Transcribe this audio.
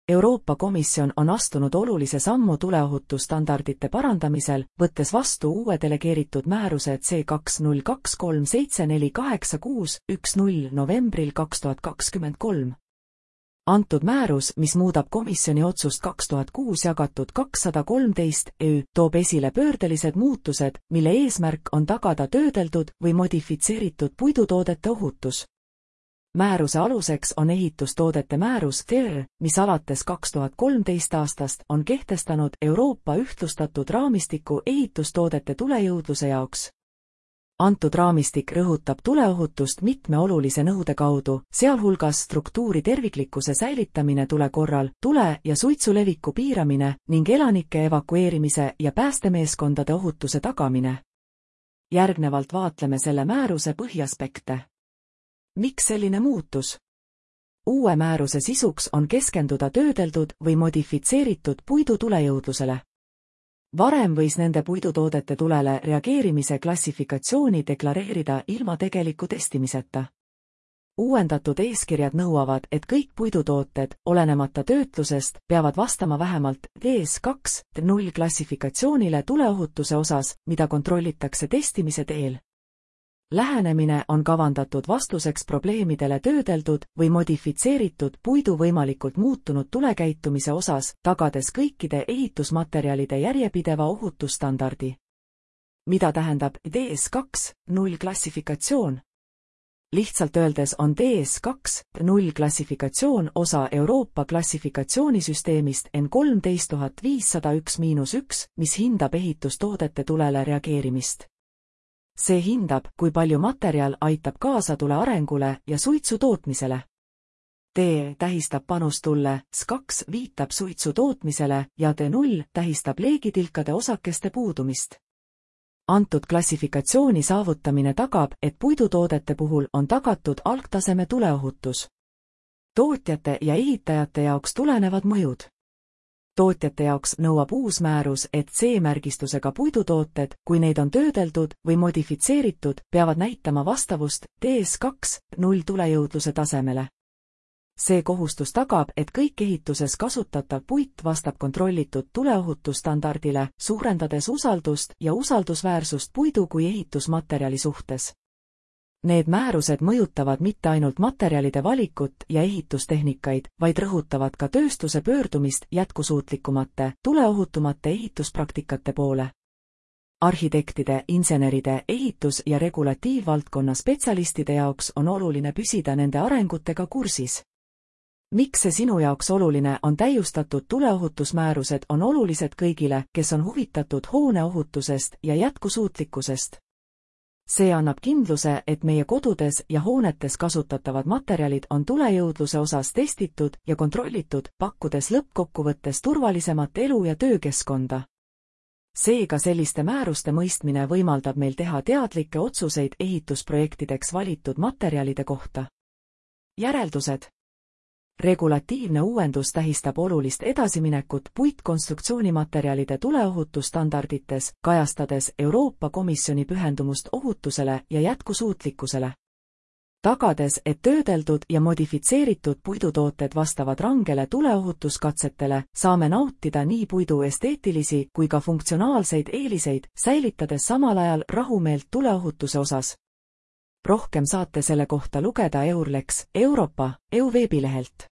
Euroopa Komisjon on astunud olulise sammu tuleohutusstandardite parandamisel, võttes vastu uue delegeeritud määruse C2023748610 novembril 2023. Antud määrus, mis muudab komisjoni otsust 2006/213/EÜ, toob esile pöördelised muutused, mille eesmärk on tagada töödeldud või modifitseeritud puidutoodete ohutus. Määruse aluseks on ehitustoodete määrus TER, mis alates 2013 aastast on kehtestanud Euroopa ühtlustatud raamistiku ehitustoodete tulejõudluse jaoks. Antud raamistik rõhutab tuleohutust mitme olulise nõude kaudu, sealhulgas struktuuri terviklikkuse säilitamine tule korral, tule ja suitsu leviku piiramine ning elanike evakueerimise ja päästemeeskondade ohutuse tagamine. Järgnevalt vaatleme selle määruse põhiaspekte. Miks selline muutus? Uue määruse sisuks on keskenduda töödeldud või modifitseeritud puidu tulejõudlusele. Varem võis nende puidutoodete tulele reageerimise klassifikatsiooni deklareerida ilma tegeliku testimiseta. Uuendatud eeskirjad nõuavad, et kõik puidutooted, olenemata töötlusest, peavad vastama vähemalt DS2.0 klassifikatsioonile tuleohutuse osas, mida kontrollitakse testimise teel. Lähenemine on kavandatud vastuseks probleemidele töödeldud või modifitseeritud puidu võimalikult muutunud tulekäitumise osas, tagades kõikide ehitusmaterjalide järjepideva ohutusstandardi. Mida tähendab DS2.0 klassifikatsioon? Lihtsalt öeldes on DS2.0 klassifikatsioon osa Euroopa klassifikatsioonisüsteemist N13501-1, mis hindab ehitustoodete tulele reageerimist. See hindab, kui palju materjal aitab kaasa tule arengule ja suitsu tootmisele. D tähistab panust tulle, S2 viitab suitsu tootmisele ja D0 tähistab leegitilkade osakeste puudumist. Antud klassifikatsiooni saavutamine tagab, et puidutoodete puhul on tagatud algtaseme tuleohutus. Tootjate ja ehitajate jaoks tulenevad mõjud. Tootjate jaoks nõuab uus määrus, et C-märgistusega puidutooted, kui neid on töödeldud või modifitseeritud, peavad näitama vastavust DS2.0 tulejõudluse tasemele. See kohustus tagab, et kõik ehituses kasutatav puit vastab kontrollitud tuleohutusstandardile, suurendades usaldust ja usaldusväärsust puidu kui ehitusmaterjali suhtes. Need määrused mõjutavad mitte ainult materjalide valikut ja ehitustehnikaid, vaid rõhutavad ka tööstuse pöördumist jätkusuutlikumate, tuleohutumate ehituspraktikate poole. Arhitektide, inseneride, ehitus- ja regulatiivvaldkonna spetsialistide jaoks on oluline püsida nende arengutega kursis. Miks see sinu jaoks oluline on? Täiustatud tuleohutusmäärused on olulised kõigile, kes on huvitatud hoone ohutusest ja jätkusuutlikkusest. See annab kindluse, et meie kodudes ja hoonetes kasutatavad materjalid on tulejõudluse osas testitud ja kontrollitud, pakkudes lõppkokkuvõttes turvalisemat elu- ja töökeskkonda. Seega selliste määruste mõistmine võimaldab meil teha teadlikke otsuseid ehitusprojektideks valitud materjalide kohta. Järeldused. Regulatiivne uuendus tähistab olulist edasiminekut puitkonstruktsioonimaterjalide tuleohutusstandardites, kajastades Euroopa Komisjoni pühendumust ohutusele ja jätkusuutlikkusele. Tagades, et töödeldud ja modifitseeritud puidutooted vastavad rangele tuleohutuskatsetele, saame nautida nii puidu esteetilisi kui ka funktsionaalseid eeliseid, säilitades samal ajal rahumeelt tuleohutuse osas. Rohkem saate selle kohta lugeda EURLEX Euroopa EU veebilehelt.